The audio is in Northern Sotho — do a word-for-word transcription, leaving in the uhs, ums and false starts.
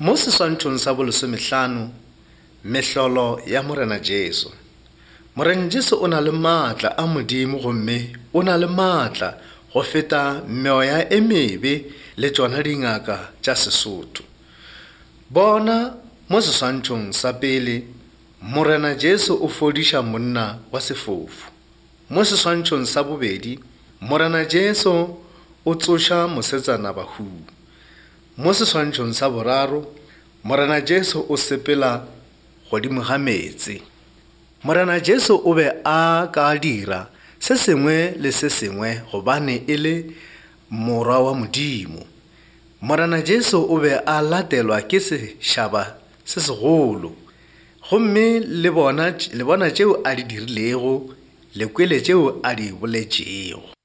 Mo seswantšhong sa bolesomehlano, mehlolo ya Morena Jesu. Morena Jesu o na le maatla a Modimo gomme o na le maatla go feta meoya e mebe le tšona dingaka tša Sesotho. Bona mo seswantšhong sa pele, Morena Jesu o fodiša monna wa sefofu. Mo seswantšhong sa bobedi, Morena Jesu o tsoša mosetsana bahung. Mo seswantšhong sa boraro, Morena Jesu o sepela godimo ga meetse. Morena Jesu o be a ka dira se sengwe le se sengwe gobane e le morwa wa Modimo. Morena Jesu o be a latelwa ke sešaba se segolo. Gomme le bona le bona tšeo a di dirilego, le kwele tšeo a di boletšego.